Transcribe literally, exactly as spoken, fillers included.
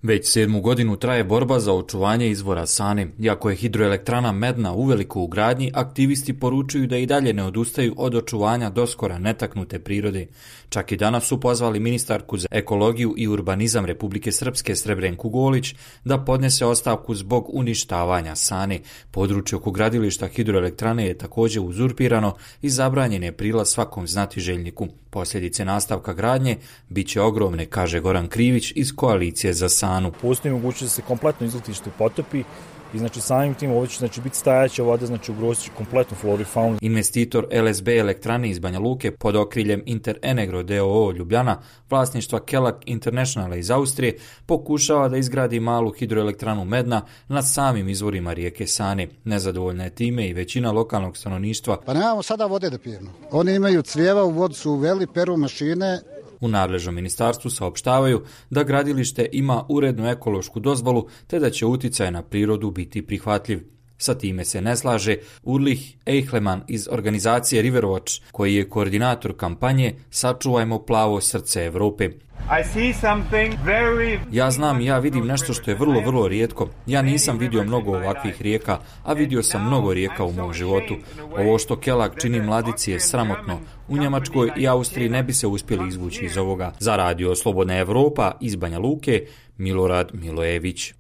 Već sedmu godinu traje borba za očuvanje izvora Sane. Iako je hidroelektrana Medna uveliko u gradnji, aktivisti poručuju da i dalje ne odustaju od očuvanja doskora netaknute prirode. Čak i danas su pozvali ministarku za ekologiju i urbanizam Republike Srpske Srebrenku Golić da podnese ostavku zbog uništavanja Sane. Područje oko gradilišta hidroelektrane je također uzurpirano i zabranjen je prilaz svakom znatiželjniku. Posljedice nastavka gradnje bit će ogromne, kaže Goran Krivić iz Koalicije za Sanu. Postoji mogućnost da se kompletno izletište potopi i znači samim tim ovo će znači, biti stajaća voda, znači ugroziti kompletnu floru i faunu. Investitor L S B elektrane iz Banja Luke pod okriljem Interenegro d o o Ljubljana, vlasništva Kelag Internationala iz Austrije, pokušava da izgradi malu hidroelektranu Medna nad samim izvorima rijeke Sane. Nezadovoljna je time i većina lokalnog stanovništva. Pa nemamo sada vode da pijemo. Oni imaju crijeva, u vodu su uveli, peru mašine. U nadležnom ministarstvu saopštavaju da gradilište ima urednu ekološku dozvolu te da će uticaj na prirodu biti prihvatljiv. Sa time se ne slaže Ulrich Eichleman iz organizacije Riverwatch, koji je koordinator kampanje Sačuvajmo plavo srce Evrope. Very... Ja znam, ja vidim nešto što je vrlo, vrlo rijetko. Ja nisam vidio mnogo ovakvih rijeka, a vidio sam mnogo rijeka u mom životu. Ovo što Kelag čini mladici je sramotno. U Njemačkoj i Austriji ne bi se uspjeli izvući iz ovoga. Za radio Slobodna Evropa iz Banja Luke, Milorad Milojević.